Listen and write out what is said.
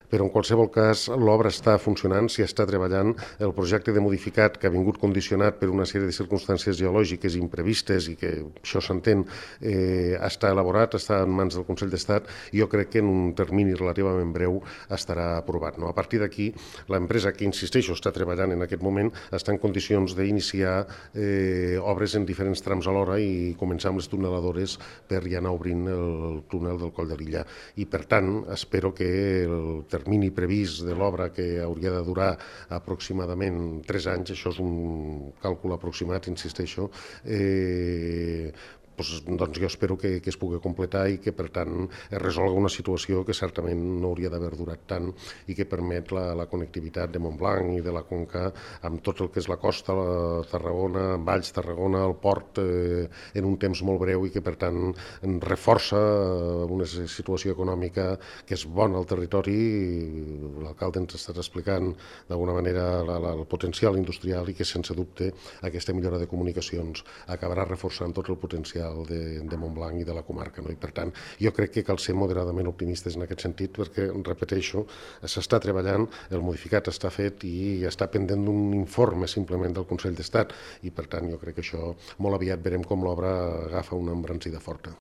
però en qualsevol cas l'obra està funcionant, s'hi està treballant, el projecte de modificat que ha vingut condicionat per una sèrie de circumstàncies geològiques imprevistes i que això s'entén, està elaborat, està en mans del Consell d'Estat i jo crec que en un termini relativament breu estarà aprovat. A partir d'aquí, l'empresa que, insisteixo, està treballant en aquest moment està en condicions d'iniciar obres en diferents trams alhora i començar amb les tuneladores per ja anar obrint el túnel del Coll de l'Illa. I, per tant, espero que el termini previst de l'obra, que hauria de durar aproximadament 3 anys, això és un càlcul aproximat, insisteixo, doncs jo espero que es pugui completar i que, per tant, es resolga una situació que certament no hauria d'haver durat tant i que permet la connectivitat de Montblanc i de la Conca amb tot el que és la costa, la Tarragona, Valls, Tarragona, el port, en un temps molt breu i que, per tant, reforça una situació econòmica que és bona al territori. L'alcalde ens ha estat explicant d'alguna manera el potencial industrial i que, sense dubte, aquesta millora de comunicacions acabarà reforçant tot el potencial de Montblanc i de la comarca. I, per tant, jo crec que cal ser moderadament optimistes en aquest sentit perquè, repeteixo, s'està treballant, el modificat està fet i està pendent d'un informe simplement del Consell d'Estat i, per tant, jo crec que això molt aviat verem com l'obra agafa una embranzida forta.